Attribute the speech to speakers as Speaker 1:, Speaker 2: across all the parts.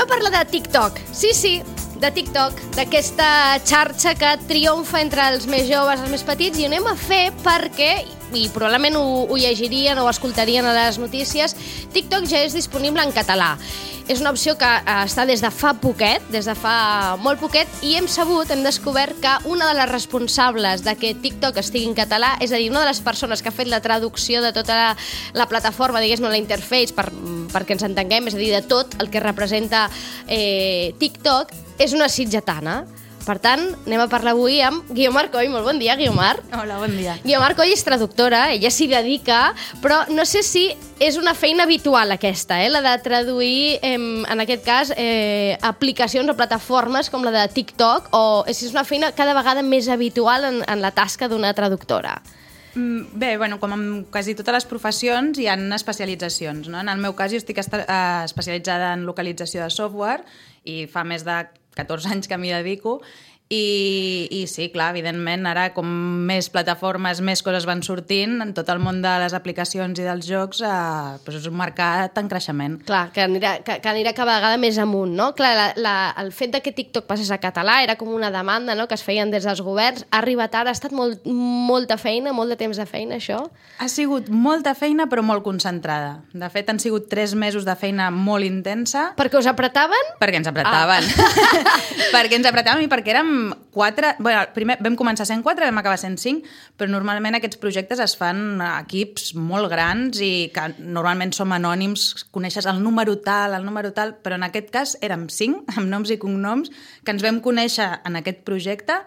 Speaker 1: a parlar de TikTok. Sí, de TikTok, d'aquesta xarxa que triomfa entre els més joves, els més petits, i ho anem a fer perquè, i probablement ho llegirien o escoltarien a les notícies, TikTok ja és disponible en català. És una opció que està des de fa poquet, des de fa molt poquet, i hem descobert que una de les responsables de que TikTok estigui en català, és a dir, una de les persones que ha fet la traducció de tota la plataforma, diguéssim, la interface, perquè ens entenguem, és a dir, de tot el que representa TikTok, és una sitgetana. Per tant, anem a parlar avui amb Guiomar Coll. Molt bon dia, Guiomar.
Speaker 2: Hola, bon dia.
Speaker 1: Guiomar Coll és traductora, ella s'hi dedica, però no sé si és una feina habitual aquesta, la de traduir, en aquest cas, aplicacions o plataformes com la de TikTok, o si és una feina cada vegada més habitual en la tasca d'una traductora.
Speaker 2: Bé, com en quasi totes les professions hi ha especialitzacions, no? En el meu cas jo estic especialitzada en localització de software i fa més de 14 anys que m'hi dedico i sí, clar, evidentment ara com més plataformes, més coses van sortint en tot el món de les aplicacions i dels jocs, és un mercat en creixement.
Speaker 1: Clar, que anirà cada vegada més amunt, no? Clar, el fet de que TikTok passés a català era com una demanda, no?, que es feien des dels governs. Ha arribat ara, ha estat molta feina, molt de temps de feina, això?
Speaker 2: Ha sigut molta feina, però molt concentrada. De fet, han sigut 3 mesos de feina molt intensa.
Speaker 1: Perquè us apretaven?
Speaker 2: Perquè ens apretaven. Perquè ens apretaven i perquè érem 4... primer vam començar sent 4, vam acabar sent 5, però normalment aquests projectes es fan a equips molt grans i que normalment som anònims, coneixes el número tal, però en aquest cas érem 5, amb noms i cognoms, que ens vam conèixer en aquest projecte,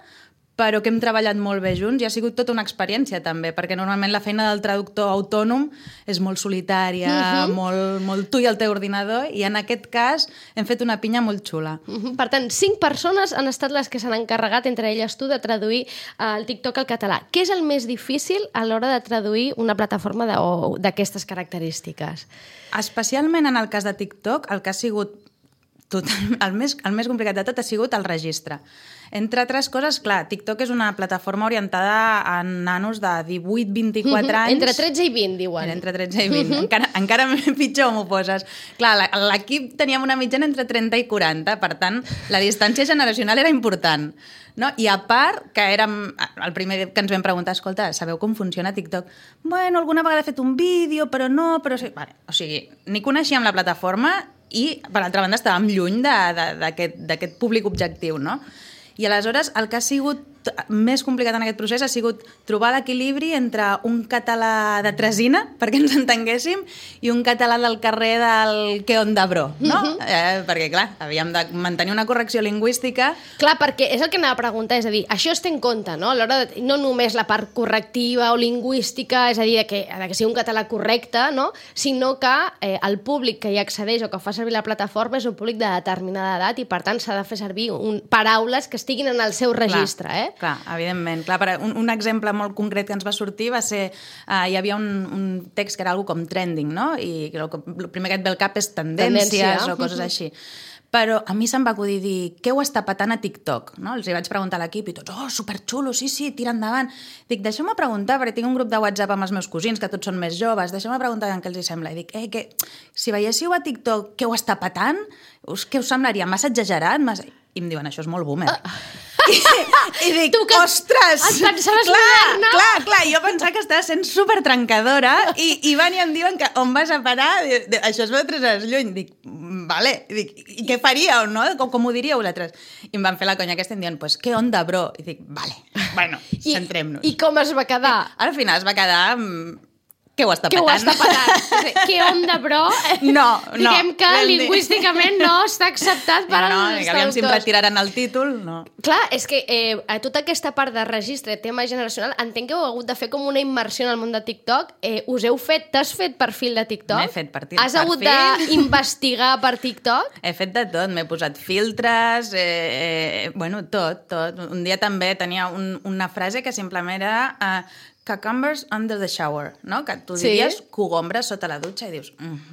Speaker 2: però que hem treballat molt bé junts i ha sigut tota una experiència també, perquè normalment la feina del traductor autònom és molt solitària, molt tu i el teu ordinador, i en aquest cas hem fet una pinya molt xula.
Speaker 1: Per tant, 5 persones han estat les que s'han encarregat, entre elles tu, de traduir el TikTok al català. Què és el més difícil a l'hora de traduir una plataforma d'aquestes característiques?
Speaker 2: Especialment en el cas de TikTok, el que ha sigut el més complicat de tot ha sigut el registre. Entre altres coses, clar, TikTok és una plataforma orientada a nanos de 18-24 anys.
Speaker 1: Entre 13 i 20, diuen.
Speaker 2: Entre 13 i 20. Encara pitjor m'ho poses. Clar, l'equip teníem una mitjana entre 30 i 40, per tant, la distància generacional era important. No? I a part, que érem el primer que ens vam preguntar, escolta, sabeu com funciona TikTok? Bueno, alguna vegada he fet un vídeo, però no, però sí. Vale, o sigui, ni coneixíem la plataforma i, per altra banda, estàvem lluny d'aquest públic objectiu, no? I aleshores el que ha sigut més complicat en aquest procés ha sigut trobar l'equilibri entre un català de tresina, perquè ens entenguéssim, i un català del carrer del que on de bro, no? Perquè, clar, havíem de mantenir una correcció lingüística.
Speaker 1: Clar, perquè és el que anava a preguntar, és a dir, això es té en compte, no? A l'hora de, no només la part correctiva o lingüística, és a dir, que sigui un català correcte, no? Sinó que el públic que hi accedeix o que fa servir la plataforma és un públic de determinada edat i, per tant, s'ha de fer servir paraules que estiguin en el seu registre,
Speaker 2: Clar, evidentment. Clar, un exemple molt concret que ens va sortir va ser... hi havia un text que era algo com trending, no? I el primer que et ve al cap és tendències o coses així. Però a mi se'm va acudir dir què ho està patant a TikTok, no? Els hi vaig preguntar a l'equip i tots, superxulo, sí, tira endavant. Dic, deixeu-me preguntar, perquè tinc un grup de WhatsApp amb els meus cosins, que tots són més joves, deixeu-me preguntar què els hi sembla. I dic, que si veiéssiu a TikTok què ho està patant, què us semblaria? Massa exagerat? I em diuen, això és molt boomer. I dic, ostres!
Speaker 1: Et pensaves moderna?
Speaker 2: Clar, jo pensava que estava sent supertrencadora i van i em diuen que on vas a parar? Això es veu 3 hores lluny. Dic, vale. Dic, i què faríeu, no? Com ho diríeu vosaltres? I em van fer la conya aquesta i em diuen, pues, què onda, bro? I dic, vale, bueno, centrem-nos.
Speaker 1: I com es va quedar?
Speaker 2: Al final es va quedar... Què ho està patant?
Speaker 1: Què onda, bro?
Speaker 2: No.
Speaker 1: Diguem que lingüísticament no està acceptat per als traductors.
Speaker 2: Aviam si em retiraran el títol, no.
Speaker 1: Clar, és que tota aquesta part de registre, tema generacional, entenc que heu hagut de fer com una immersió en el món de TikTok. T'has fet perfil de TikTok?
Speaker 2: M'he fet perfil.
Speaker 1: Has hagut d'investigar per TikTok?
Speaker 2: He fet de tot, m'he posat filtres, tot. Un dia també tenia una frase que simplement era... cucumbers under the shower, no? Que tu diries cogombres sota la dutxa i dius,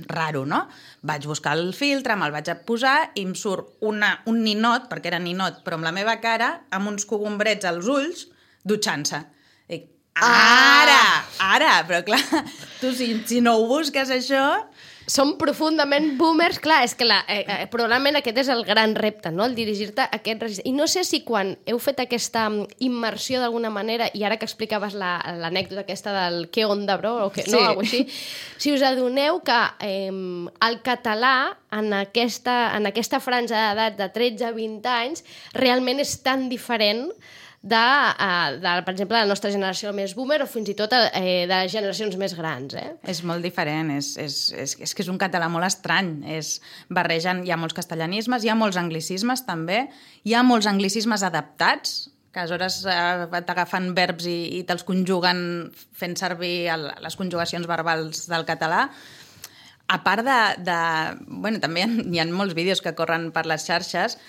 Speaker 2: raro, no? Vaig buscar el filtre, me'l vaig posar i em surt un ninot, perquè era ninot, però amb la meva cara, amb uns cogombrets als ulls, dutxant-se. Dic, ara! Però clar, tu si no ho busques això...
Speaker 1: Som profundament boomers, clar, és que probablement aquest és el gran repte, no? El dirigir-te a aquest registre. I no sé si quan heu fet aquesta immersió d'alguna manera, i ara que explicaves l'anècdota aquesta del què onda, bro, o què, no, alguna cosa així, si us adoneu que el català en aquesta franja d'edat de 13 a 20 anys realment és tan diferent de, per exemple, la nostra generació més boomer o fins i tot de generacions més grans.
Speaker 2: És molt diferent, és que és un català molt estrany. Barregen, hi ha molts castellanismes, hi ha molts anglicismes també, hi ha molts anglicismes adaptats, que aleshores t'agafen verbs i te'ls conjuguen fent servir les conjugacions verbals del català. A part bueno, també hi ha molts vídeos que corren per les xarxes.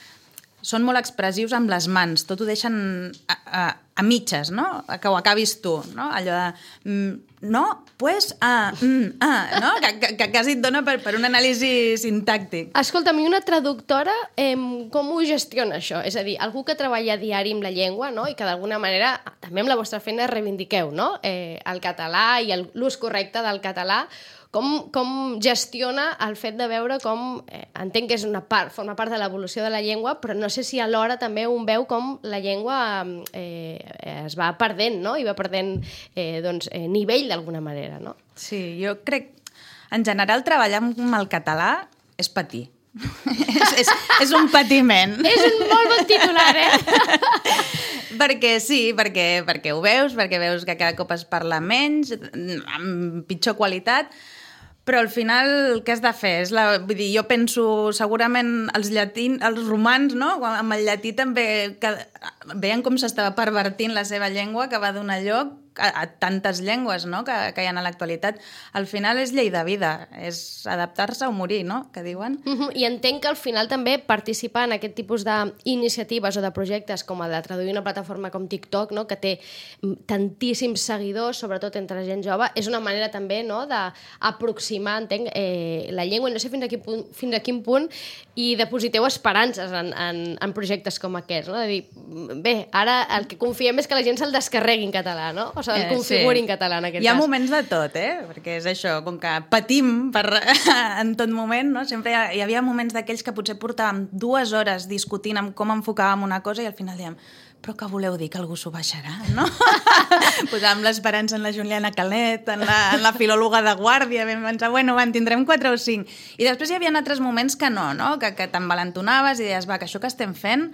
Speaker 2: Són molt expressius amb les mans, tot ho deixen a mitges, no? Que ho acabis tu, no? Allò de, no, pues, no? Que quasi et dona per un anàlisi sintàctic.
Speaker 1: Escolta'm, i una traductora, com ho gestiona això? És a dir, algú que treballa a diari amb la llengua, no? I que d'alguna manera, també amb la vostra feina reivindiqueu, no? El català i l'ús correcte del català. Com gestiona el fet de veure com, entenc que és forma part de l'evolució de la llengua, però no sé si alhora també un veu com la llengua es va perdent, no? I va perdent nivell d'alguna manera, no?
Speaker 2: Sí, jo crec, en general, treballar amb el català és patir. és un patiment.
Speaker 1: És un molt bon titular,
Speaker 2: Perquè sí, perquè ho veus, perquè veus que cada cop es parla menys, amb pitjor qualitat, però al final què has de fer? Vull dir, jo penso, segurament els romans, no? Amb el llatí també veien com s'estava pervertint la seva llengua, que va donar lloc a tantes llengües, no? que hi ha a l'actualitat. Al final és llei de vida, és adaptar-se o morir, no? Que diuen.
Speaker 1: I entenc que al final també participar en aquest tipus d'iniciatives o de projectes com el de traduir una plataforma com TikTok, no? Que té tantíssims seguidors, sobretot entre gent jove, és una manera també, no? D'aproximar, entenc, la llengua, i no sé fins a quin punt i depositeu esperances en projectes com aquests, no? De dir, bé, ara el que confiem és que la gent se'l descarregui en català, no? O sigui, el configuri en català, en aquest cas.
Speaker 2: Hi ha moments de tot, perquè és això, com que patim en tot moment, no? Sempre hi havia moments d'aquells que potser portàvem 2 hores discutint amb com enfocàvem una cosa i al final dèiem, però què voleu dir, que algú s'ho baixarà, no? Posàvem l'esperança en la Juliana Calet, en la filòloga de guàrdia, vam pensar, bueno, en tindrem 4 o 5. I després hi havia altres moments que no? Que t'envalentonaves i deies, va, que això que estem fent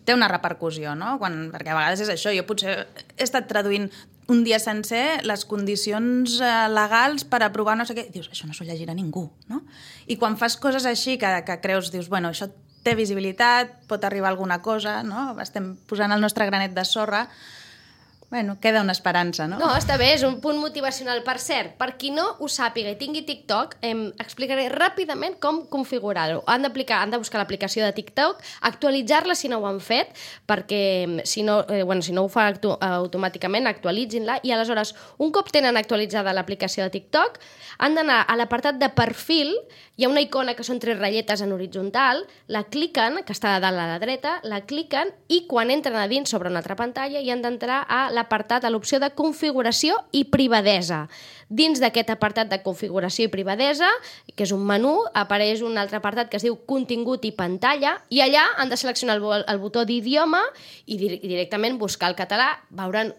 Speaker 2: té una repercussió, no? Perquè a vegades és això, jo potser he estat traduint un dia sencer les condicions legals per aprovar no sé què, i dius, això no s'ho llegirà ningú, no? I quan fas coses així que creus, dius, bueno, això té visibilitat, pot arribar a alguna cosa, no? Estem posant el nostre granet de sorra, bueno, queda una esperança, no?
Speaker 1: No, està bé, és un punt motivacional. Per cert, per qui no ho sàpiga i tingui TikTok, explicaré ràpidament com configurar-ho. Han de buscar l'aplicació de TikTok, actualitzar-la si no ho han fet, perquè si no ho fa automàticament, actualitzin-la, i aleshores, un cop tenen actualitzada l'aplicació de TikTok, han d'anar a l'apartat de perfil, hi ha una icona que són 3 ratlletes en horitzontal, la cliquen, que està a dalt a la dreta, la cliquen i quan entren a dins sobre una altra pantalla hi han d'entrar a l'apartat, a l'opció de configuració i privadesa. Dins d'aquest apartat de configuració i privadesa, que és un menú, apareix un altre apartat que es diu contingut i pantalla, i allà han de seleccionar el botó d'idioma i directament buscar el català. Veuran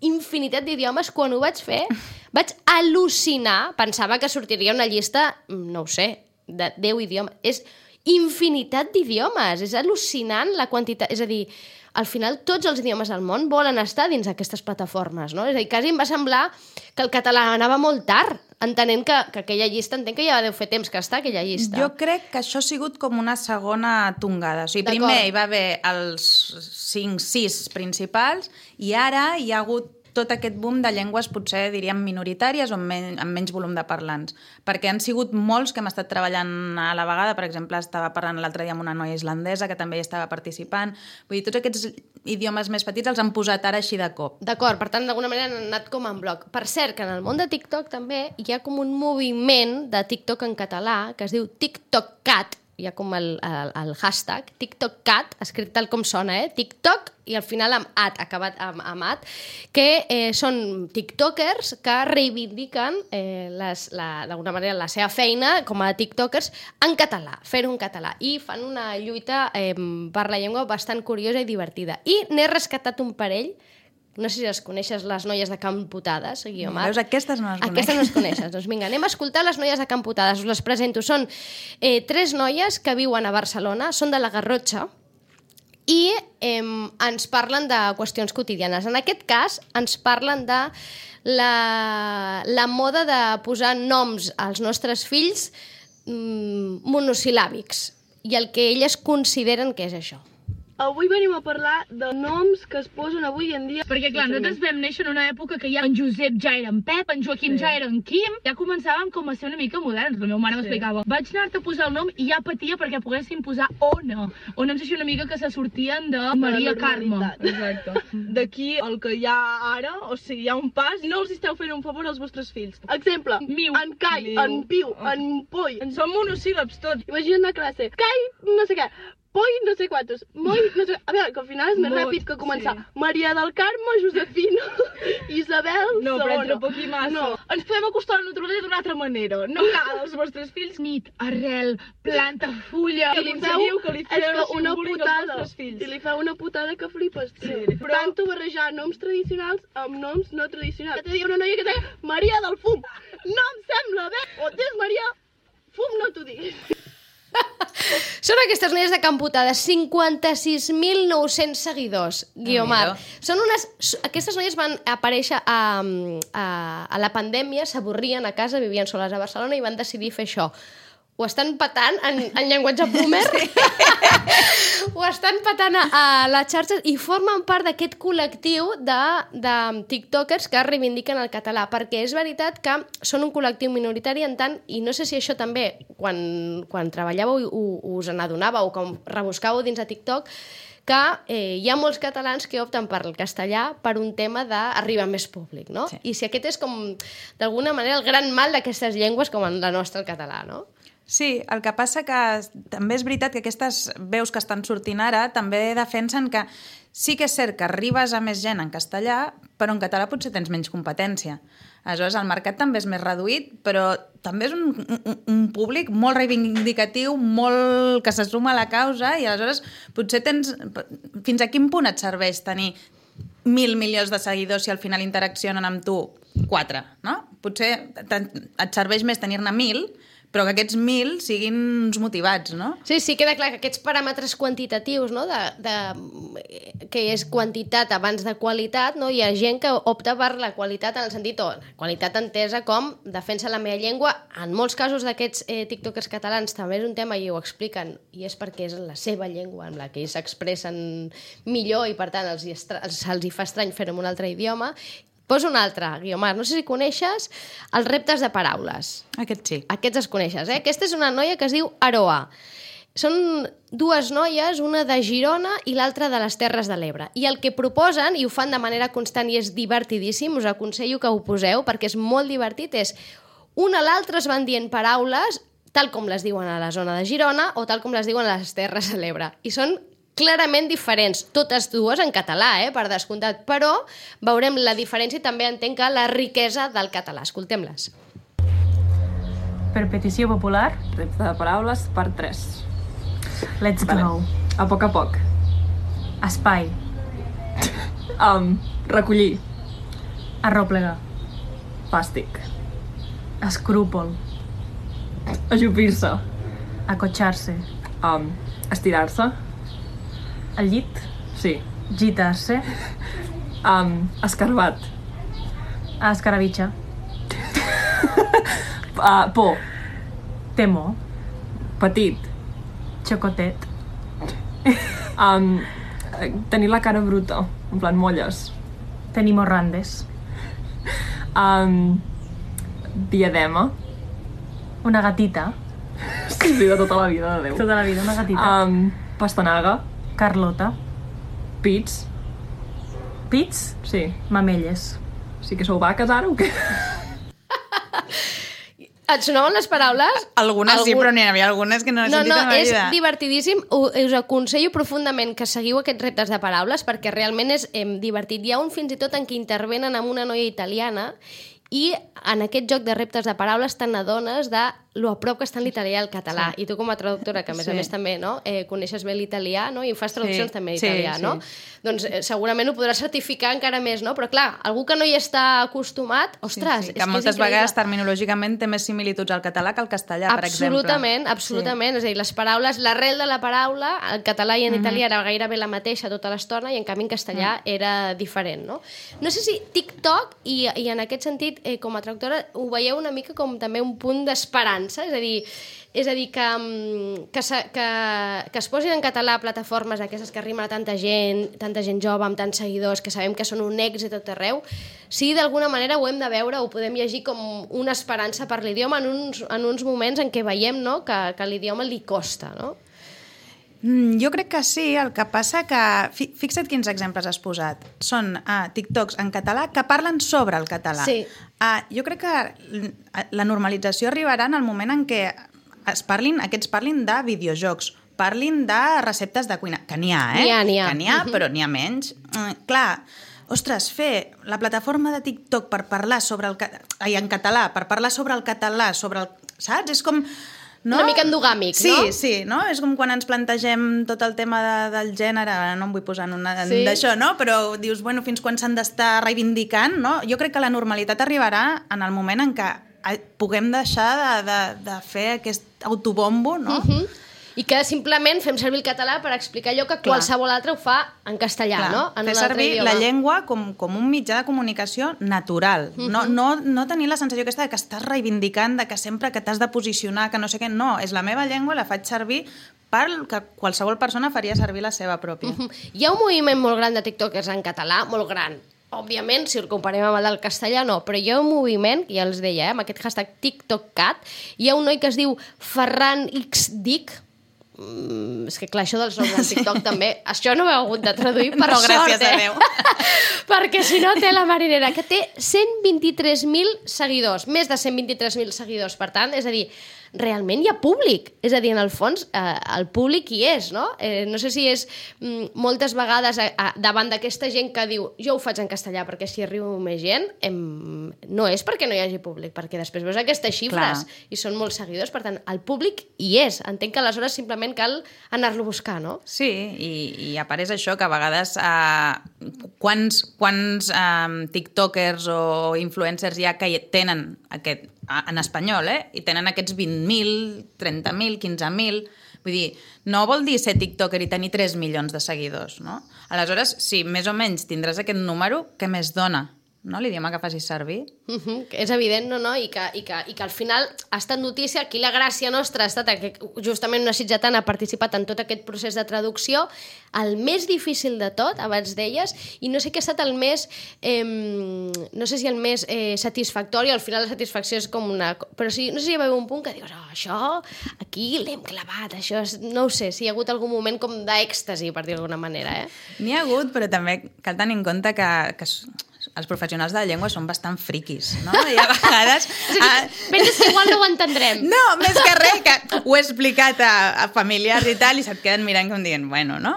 Speaker 1: infinitat d'idiomes. Quan ho vaig fer, vaig al·lucinar. Pensava que sortiria una llista, no ho sé, de 10 idiomes. És infinitat d'idiomes. És al·lucinant la quantitat. És a dir, al final tots els idiomes del món volen estar dins aquestes plataformes, no? És a dir, quasi em va semblar que el català anava molt tard, entenent que aquella llista, entenc que ja deu fer temps que està aquella llista.
Speaker 2: Jo crec que això ha sigut com una segona tongada. O sigui, primer hi va haver els 5-6 principals i ara hi ha hagut tot aquest boom de llengües potser diríem minoritàries o amb menys volum de parlants. Perquè han sigut molts que hem estat treballant a la vegada. Per exemple, estava parlant l'altre dia amb una noia islandesa que també hi estava participant. Vull dir, tots aquests idiomes més petits els han posat ara així de cop.
Speaker 1: D'acord, per tant, d'alguna manera han anat com en bloc. Per cert, que en el món de TikTok també hi ha com un moviment de TikTok en català que es diu TikTokCat, hi ha com el hashtag, TikTokCat, escrit tal com sona, TikTok, i al final amb at, acabat amb at, que són tiktokers que reivindiquen d'alguna manera la seva feina com a tiktokers en català, fer-ho en català, i fan una lluita per la llengua bastant curiosa i divertida. I n'he rescatat un parell. No sé si les coneixes, les noies de Camp Putades, Guiomar.
Speaker 2: Veus, aquestes no les conec.
Speaker 1: Aquestes no les coneixes. Doncs vinga, anem a escoltar les noies de Camp Putades. Us les presento. Són 3 noies que viuen a Barcelona, són de la Garrotxa, i ens parlen de qüestions quotidianes. En aquest cas, ens parlen de la moda de posar noms als nostres fills monosil·làbics i el que elles consideren que és això.
Speaker 3: Avui venim a parlar de noms que es posen avui en dia.
Speaker 4: Perquè, clar, nosaltres vam néixer en una època que ja en Josep ja era en Pep, en Joaquim ja era en Quim. Ja començàvem com a ser una mica moderns. La meva mare m'explicava. Vaig anar-te a posar el nom i ja patia perquè poguessin posar Ona. Ona em sé una mica que se sortien de Maria Carme.
Speaker 3: Exacte. D'aquí el que hi ha ara, o sigui, hi ha un pas, no els esteu fent un favor als vostres fills. Exemple,
Speaker 4: Miu,
Speaker 3: en Cai, en Piu, en Poi.
Speaker 4: Són monosíl·labs tots.
Speaker 3: Imagina't a classe. Cai, no sé què. Poi, no sé quantos. Moi, no sé... A veure, que al final és més ràpid que començar. Sí. Maria del Carme, Josefina, Isabel,
Speaker 4: no,
Speaker 3: segona.
Speaker 4: però entre poc i massa.
Speaker 3: No.
Speaker 4: Ens podem acostar a la naturalesa d'una altra manera. No cal als vostres fills nit, arrel, planta, fulla...
Speaker 3: I li feu una putada. I li feu una putada que flipes, tio. Sí, però... Tanto barrejar noms tradicionals amb noms no tradicionals. Ja t'he dit una noia que deia Maria del Fum. No em sembla bé. O tens Maria, Fum no t'ho diguis.
Speaker 1: Són aquestes noies de Camp Putades, 56.900 seguidors, Guiomar. Aquestes noies van aparèixer a la pandèmia, s'avorrien a casa, vivien soles a Barcelona i van decidir fer això. Ho estan patant en llenguatge boomer, ho estan patant a les xarxes i formen part d'aquest col·lectiu de tiktokers que reivindiquen el català, perquè és veritat que són un col·lectiu minoritari en tant, i no sé si això també, quan treballàveu us n'adonàveu o com rebuscàveu dins de TikTok, que hi ha molts catalans que opten per el castellà per un tema d'arribar a més públic, no? Sí. I si aquest és com, d'alguna manera, el gran mal d'aquestes llengües com en la nostra, el català, no?
Speaker 2: Sí, el que passa que també és veritat que aquestes veus que estan sortint ara també defensen que sí que és cert que arribes a més gent en castellà, però en català potser tens menys competència. Aleshores, el mercat també és més reduït, però també és un públic molt reivindicatiu, molt que se suma a la causa, i aleshores potser tens... Fins a quin punt et serveix tenir 1.000 milions de seguidors si al final interaccionen amb tu 4, no? Potser et serveix més tenir-ne 1.000, però que aquests 1.000 siguin uns motivats, no?
Speaker 1: Sí, queda clar que aquests paràmetres quantitatius, no? Que és quantitat abans de qualitat, no? Hi ha gent que opta per la qualitat en el sentit, qualitat entesa com defensa la meva llengua. En molts casos d'aquests tiktokers catalans també és un tema i ho expliquen, i és perquè és la seva llengua amb la que ells s'expressen millor i per tant se'ls hi fa estrany fer-ho en un altre idioma. Poso un altre, Guiomar. No sé si coneixes els reptes de paraules.
Speaker 2: Aquest sí.
Speaker 1: Aquests els coneixes, Aquesta és una noia que es diu Aroa. Són 2 noies, una de Girona i l'altra de les Terres de l'Ebre. I el que proposen, i ho fan de manera constant i és divertidíssim, us aconsello que ho poseu perquè és molt divertit, és una a l'altra es van dient paraules tal com les diuen a la zona de Girona o tal com les diuen a les Terres de l'Ebre. I són clarament diferents, totes dues en català, per descomptat, però veurem la diferència i també entenc que la riquesa del català. Escoltem-les.
Speaker 5: Per petició popular,
Speaker 6: repte de paraules per 3.
Speaker 5: Let's go.
Speaker 6: A poc.
Speaker 5: Espai.
Speaker 6: Recollir.
Speaker 5: Arròplega.
Speaker 6: Fàstic.
Speaker 5: Escrúpol.
Speaker 6: Ajupir-se.
Speaker 5: Acotxar-se.
Speaker 6: Estirar-se.
Speaker 5: Al llit.
Speaker 6: Sí.
Speaker 5: Gitar-se.
Speaker 6: Escarbat.
Speaker 5: Escarabitxa.
Speaker 6: Por.
Speaker 5: Temor.
Speaker 6: Petit.
Speaker 5: Xocotet.
Speaker 6: Tenir la cara bruta, en plan molles.
Speaker 5: Tenir morrandes.
Speaker 6: Diadema.
Speaker 5: Una gatita.
Speaker 6: Sí, de tota la vida, de Déu.
Speaker 5: Tota la vida, una gatita.
Speaker 6: Pastanaga.
Speaker 5: Carlota.
Speaker 6: Pits.
Speaker 5: Pits?
Speaker 6: Sí.
Speaker 5: Mamelles.
Speaker 6: Sí que sou vaques ara o què?
Speaker 1: Et sonaven les paraules?
Speaker 2: Algunes sí, però n'hi havia algunes que no he sentit en la vida.
Speaker 1: És divertidíssim. Us aconsello profundament que seguiu aquests reptes de paraules perquè realment és divertit. Hi ha un fins i tot en què intervenen amb una noia italiana i en aquest joc de reptes de paraules te n'adones de lo a prop que està en l'italià i el català.
Speaker 2: Sí.
Speaker 1: I tu com a traductora, que a més també no, coneixes bé l'italià, no? I fas traduccions també en
Speaker 2: Sí,
Speaker 1: italià,
Speaker 2: sí.
Speaker 1: no? Doncs segurament ho podràs certificar encara més, no? Però clar, algú que no hi està acostumat, ostres,
Speaker 2: Sí,
Speaker 1: és
Speaker 2: que moltes
Speaker 1: és increïble.
Speaker 2: vegades terminològicament té més similituds al català que al castellà, per exemple.
Speaker 1: Absolutament. És a dir, les paraules, l'arrel de la paraula, en català i en italià era gairebé la mateixa tota l'estona i en canvi en castellà era diferent, no? No sé si TikTok, i en aquest sentit, com a traductora, ho veieu una mica com també un punt d'esperança, és a dir que es posin en català plataformes d'aquestes que arriben a tanta gent jove, amb tants seguidors, que sabem que són un èxit a tot arreu, sí, d'alguna manera ho hem de veure, ho podem llegir com una esperança per l'idioma en uns moments en què veiem, no?, que l'idioma li costa, no?
Speaker 2: Jo crec que sí, el que passa que... Fixa't quins exemples has posat. Són TikToks en català que parlen sobre el català.
Speaker 1: Sí.
Speaker 2: Jo crec que la normalització arribarà en el moment en què aquests parlin de videojocs, parlin de receptes de cuina, que n'hi ha,
Speaker 1: N'hi ha.
Speaker 2: Que n'hi ha, però n'hi ha menys. Clar, ostres, fer la plataforma de TikTok per parlar sobre en català, per parlar sobre el català, saps? És com... No?
Speaker 1: Una mica endogàmic,
Speaker 2: sí,
Speaker 1: no?
Speaker 2: Sí, no? És com quan ens plantegem tot el tema del gènere, no em vull posar
Speaker 1: Sí.
Speaker 2: d'això, no? Però dius, bueno, fins quan s'han d'estar reivindicant, no? Jo crec que la normalitat arribarà en el moment en què puguem deixar de fer aquest autobombo, no?
Speaker 1: I que simplement fem servir el català per explicar allò que qualsevol altre ho fa en castellà,
Speaker 2: Clar,
Speaker 1: no? En
Speaker 2: fer
Speaker 1: un altre
Speaker 2: servir
Speaker 1: idioma.
Speaker 2: la llengua com un mitjà de comunicació natural. No tenir la sensació aquesta de que estàs reivindicant, de que sempre que t'has de posicionar, que no sé què. No, és la meva llengua, la faig servir pel que qualsevol persona faria servir la seva pròpia.
Speaker 1: Hi ha un moviment molt gran de tiktokers en català, molt gran. Òbviament, si el comparem amb el del castellà, no, però hi ha un moviment, ja els deia, amb aquest hashtag TikTokCat, hi ha un noi que es diu Ferran XDic, és que clar, això dels noms del TikTok també, això no ho he hagut de traduir per
Speaker 2: No,
Speaker 1: sort,
Speaker 2: gràcies a Déu.
Speaker 1: perquè si no té la marinera, que té 123.000 seguidors, més de 123.000 seguidors, per tant, és a dir, realment hi ha públic, és a dir, en el fons el públic hi és, no? No sé si és moltes vegades davant d'aquesta gent que diu jo ho faig en castellà perquè si arribo més gent, no és perquè no hi hagi públic, perquè després veus aquestes xifres i són molts seguidors, per tant, el públic hi és, entenc que aleshores simplement cal anar-lo a buscar, no?
Speaker 2: Sí, i a part és això, que a vegades quants tiktokers o influencers hi ha que tenen aquest, en espanyol, i tenen aquests 20.000, 30.000, 15.000... Vull dir, no vol dir ser tiktoker i tenir 3 milions de seguidors, no? Aleshores, si més o menys tindràs aquest número, què més dona? No? L'idioma que facis servir.
Speaker 1: És evident, no? I que al final ha estat notícia. Aquí la gràcia nostra ha estat que justament una sitgetana ha participat en tot aquest procés de traducció, el més difícil de tot, abans deies, i no sé què ha estat el més... no sé si el més satisfactori, al final la satisfacció és com una... Però sí, no sé si hi va haver un punt que dius això, aquí l'hem clavat, això és... No ho sé, si hi ha hagut algun moment com d'èxtasi, per dir d'alguna manera,
Speaker 2: N'hi ha hagut, però també cal tenir en compte que els professionals de la llengua són bastant friquis, no? I a vegades...
Speaker 1: Penses que igual no ho entendrem.
Speaker 2: No, més que res, que ho he explicat a familiars i tal, i se't queden mirant com dient, bueno, no?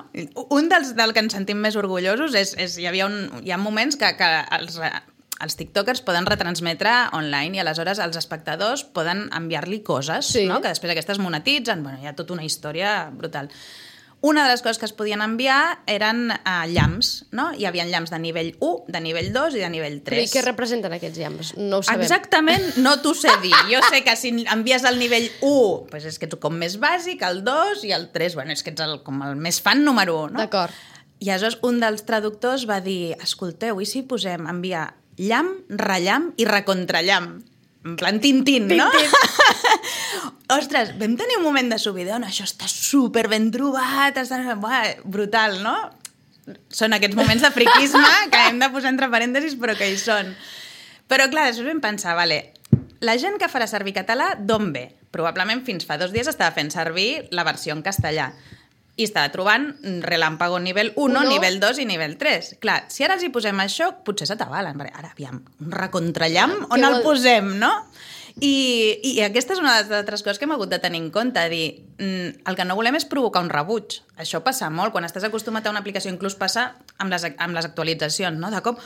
Speaker 2: Un del que ens sentim més orgullosos hi ha moments que els tiktokers poden retransmetre online i aleshores els espectadors poden enviar-li coses, no? Que després aquestes monetitzen, bueno, hi ha tota una història brutal. Una de les coses que es podien enviar eren llamps, no? Hi havia llamps de nivell 1, de nivell 2 i de nivell 3.
Speaker 1: Però i què representen aquests llamps? No ho sabem.
Speaker 2: Exactament, no t'ho sé dir. Jo sé que si envies el nivell 1, doncs és que ets com més bàsic, el 2 i el 3, bueno, és que ets com el més fan número 1, no?
Speaker 1: D'acord.
Speaker 2: I aleshores un dels traductors va dir, escolteu, i si posem enviar llamp, rellamp i recontrallamp? En plan Tintín, no? Ostres, vam tenir un moment de subidó, això està super ben trobat, brutal, no? Són aquests moments de friquisme que hem de posar entre parèntesis, però que hi són. Però clar, després vam pensar, la gent que farà servir català, d'on ve? Probablement fins fa 2 dies estava fent servir la versió en castellà i estava trobant Relámpago nivell 1, nivell 2 i nivell 3. Clar, si ara els hi posem això, potser s'atabalen. Ara, aviam, un recontrallamp, on el posem, no? I aquesta és una de les altres coses que hem hagut de tenir en compte, dir, el que no volem és provocar un rebuig. Això passa molt, quan estàs acostumat a una aplicació, inclús passa amb les actualitzacions, no? De cop,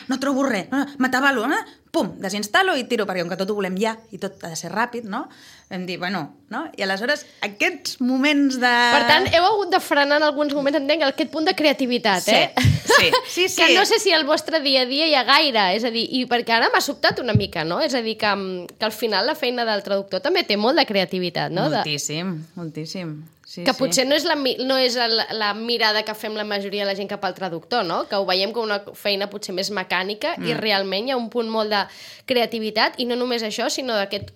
Speaker 2: no trobo res, m'atabalo, pum, desinstal·lo i tiro, perquè com que tot ho volem ja i tot ha de ser ràpid, no? Vam dir, bueno, no? I aleshores aquests moments de...
Speaker 1: Per tant, heu hagut de frenar en alguns moments, entenc, aquest punt de creativitat,
Speaker 2: Sí.
Speaker 1: Que no sé si al vostre dia a dia hi ha gaire, és a dir, i perquè ara m'ha sobtat una mica, no? És a dir, que al final la feina del traductor també té molt de creativitat, no?
Speaker 2: Moltíssim. Sí,
Speaker 1: que potser no és la mirada que fem la majoria de la gent cap al traductor, no? Que ho veiem com una feina potser més mecànica i realment hi ha un punt molt de creativitat i no només això, sinó d'aquest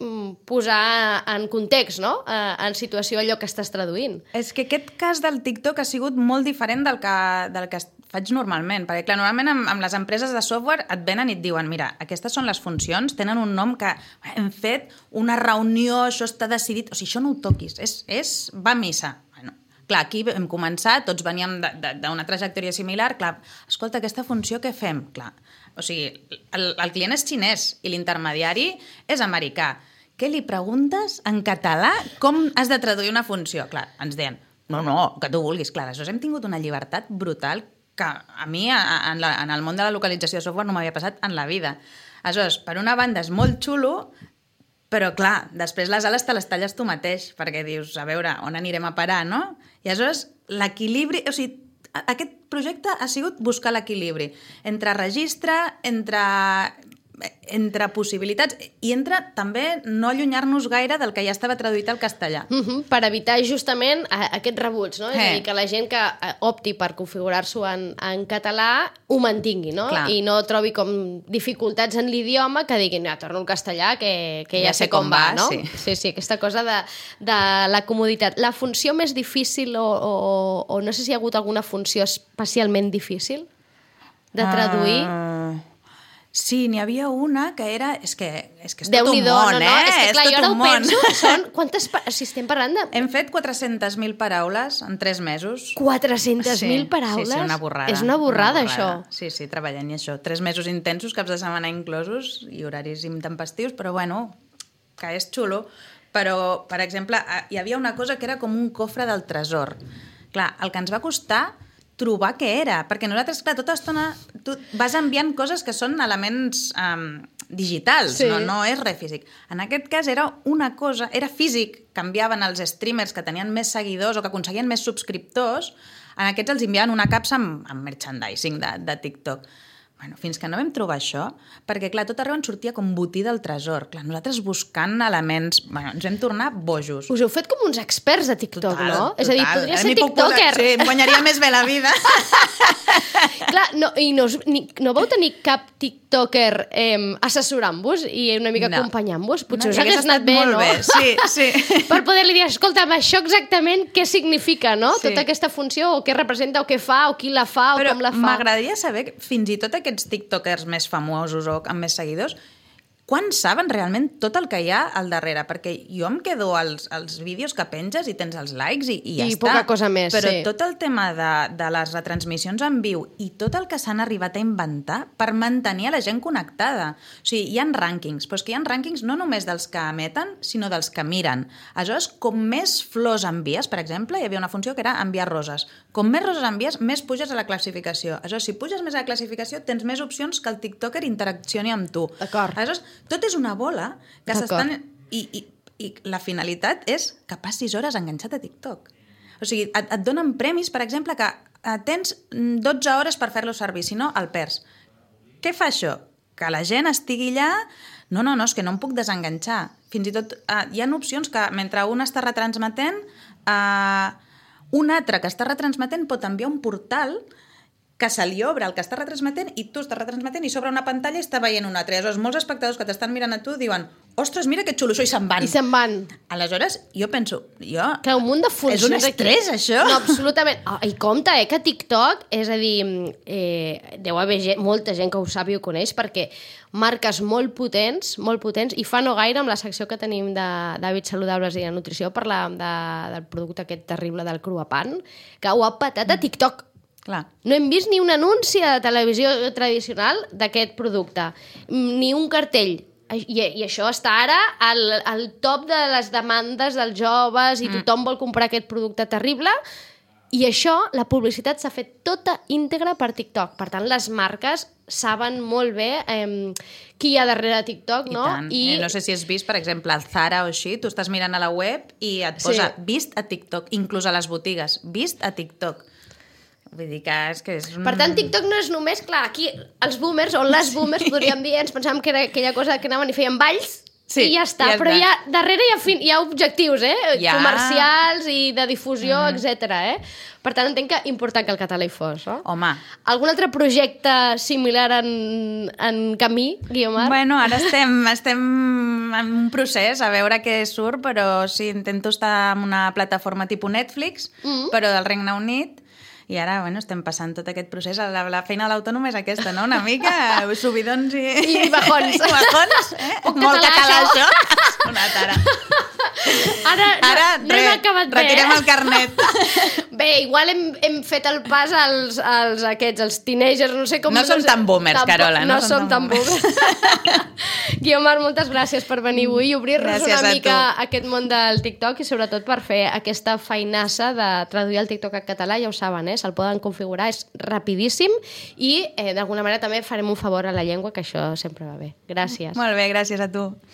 Speaker 1: posar en context, no? En situació allò que estàs traduint.
Speaker 2: És que aquest cas del TikTok ha sigut molt diferent del que faig normalment, perquè clar, normalment amb les empreses de software et venen i et diuen, mira, aquestes són les funcions, tenen un nom que hem fet una reunió, això està decidit, o sigui, això no ho toquis, va a missa. Bueno, clar, aquí hem començat, tots veníem d'una trajectòria similar, clar, escolta, aquesta funció què fem? Clar, o sigui, el client és xinès i l'intermediari és americà. Què li preguntes en català com has de traduir una funció? Clar, ens deien, no, que tu vulguis. Clar, aleshores hem tingut una llibertat brutal que a mi, en el món de la localització de software, no m'havia passat en la vida. Aleshores, per una banda és molt xulo, però clar, després les ales te les talles tu mateix, perquè dius, a veure, on anirem a parar, no? I aleshores, l'equilibri... O sigui, aquest projecte ha sigut buscar l'equilibri entre registre, entre possibilitats i entre també no allunyar-nos gaire del que ja estava traduït al castellà.
Speaker 1: Per evitar justament aquest rebuig, no? És a dir, que la gent que opti per configurar-s'ho en català ho mantingui, no?
Speaker 2: Clar.
Speaker 1: I no trobi com dificultats en l'idioma que diguin, torno al castellà, que ja sé com va, no? Sí, aquesta cosa de la comoditat. La funció més difícil o no sé si hi ha hagut alguna funció especialment difícil de traduir?
Speaker 2: Sí, n'hi havia una que era... És que és tot un món,
Speaker 1: no? És que clar, jo ara ho penso,
Speaker 2: Quantes...
Speaker 1: Si estem parlant de...
Speaker 2: Hem fet 400.000 paraules en 3 mesos.
Speaker 1: 400.000 paraules?
Speaker 2: Sí, una borrada.
Speaker 1: És una borrada, això.
Speaker 2: Sí, treballant i això. 3 mesos intensos, caps de setmana inclosos, i horaris intempestius, però bueno, que és xulo. Però, per exemple, hi havia una cosa que era com un cofre del tresor. Clar, el que ens va costar trobar què era, perquè nosaltres, clar, tota l'estona tu vas enviant coses que són elements digitals, no és res físic. En aquest cas era una cosa, era físic, canviaven els streamers que tenien més seguidors o que aconseguien més subscriptors, en aquests els enviaven una capsa amb merchandising de TikTok. Bueno, fins que no vam trobar això, perquè, clar, tot arreu ens sortia com botí del tresor. Clar, nosaltres buscant elements... Bueno, ens vam tornar bojos.
Speaker 1: Us heu fet com uns experts de TikTok, no? És a dir, podria ser tiktoker.
Speaker 2: Sí, em guanyaria més bé la vida.
Speaker 1: Clar, i no vau tenir cap tiktoker assessorant-vos i una mica acompanyant-vos? Potser us hagués anat bé, no?
Speaker 2: Sí.
Speaker 1: Per poder-li dir, escolta'm, això exactament què significa, no? Tota aquesta funció, o què representa, o què fa, o qui la fa, o com la fa.
Speaker 2: Però m'agradaria saber, fins i tot aquests tiktokers més famosos o amb més seguidors, quan saben realment tot el que hi ha al darrere? Perquè jo em quedo als vídeos que penges i tens els likes i ja està.
Speaker 1: I poca cosa més,
Speaker 2: però tot el tema de les retransmissions en viu i tot el que s'han arribat a inventar per mantenir a la gent connectada. O sigui, hi ha rànquings, però és que hi ha rànquings no només dels que emeten, sinó dels que miren. Aleshores, com més flors envies, per exemple, hi havia una funció que era enviar roses. Com més roses envies, més puges a la classificació. Aleshores, si puges més a la classificació, tens més opcions que el tiktoker interaccioni amb tu.
Speaker 1: D'acord.
Speaker 2: Aleshores, tot és una bola que s'estan... I la finalitat és que passis hores enganxat a TikTok. O sigui, et donen premis, per exemple, que tens 12 hores per fer-lo servir, si no, el perds. Què fa això? Que la gent estigui allà... No, és que no em puc desenganxar. Fins i tot hi ha opcions que mentre un està retransmetent, un altre que està retransmetent pot enviar un portal que se li obre el que està retransmetent i tu estàs retransmetent i s'obre una pantalla i està veient un altre. Aleshores, molts espectadors que t'estan mirant a tu diuen ostres, mira que xulo això, i se'n van.
Speaker 1: I se'n van.
Speaker 2: Aleshores, jo penso...
Speaker 1: Clar, un munt de funcions...
Speaker 2: És un estrès, això?
Speaker 1: No, absolutament. I compte, que TikTok, és a dir, deu haver molta gent que ho sap i ho coneix, perquè marques molt potents, i fa no gaire, amb la secció que tenim d'hàbits saludables i de nutrició, parlàvem del producte aquest terrible del Cruapan, que ho ha patat a TikTok.
Speaker 2: Clar.
Speaker 1: No hem vist ni un anunci de televisió tradicional d'aquest producte, ni un cartell I això està ara al top de les demandes dels joves i tothom vol comprar aquest producte terrible. I això, la publicitat s'ha fet tota íntegra per TikTok. Per tant, les marques saben molt bé qui hi ha darrere TikTok, no?
Speaker 2: I no sé si has vist, per exemple, el Zara o així, tu estàs mirant a la web i et posa vist a TikTok, inclús a les botigues, vist a TikTok. Vull dir que és un...
Speaker 1: Per tant, TikTok no és només, clar, aquí els boomers, o les boomers, podríem dir, ens pensàvem que era aquella cosa que anaven i feien balls, i ja està. Però darrere hi ha objectius, comercials i de difusió, etc. Per tant, entenc que important que el català hi fos, no?
Speaker 2: Home.
Speaker 1: Algun altre projecte similar en camí, Guiomar?
Speaker 2: Bueno, ara estem en un procés, a veure què surt, però sí, intento estar en una plataforma tipus Netflix, però del Regne Unit. I ara, bueno, estem passant tot aquest procés. La feina de l'autònom és aquesta, no? Una mica subidons
Speaker 1: i bajons.
Speaker 2: I bajons, molt català, això. Una tara.
Speaker 1: Ara n'hem acabat bé,
Speaker 2: retirem el carnet.
Speaker 1: Bé, igual hem fet el pas als teenagers, no sé com...
Speaker 2: No som tan boomers, Carola.
Speaker 1: No som tan boomers. Guiomar, moltes gràcies per venir avui i obrir-nos una mica aquest món del TikTok i sobretot per fer aquesta feinassa de traduir el TikTok a català, ja ho saben, se'l poden configurar, és rapidíssim i d'alguna manera també farem un favor a la llengua, que això sempre va bé. Gràcies.
Speaker 2: Molt bé, gràcies a tu.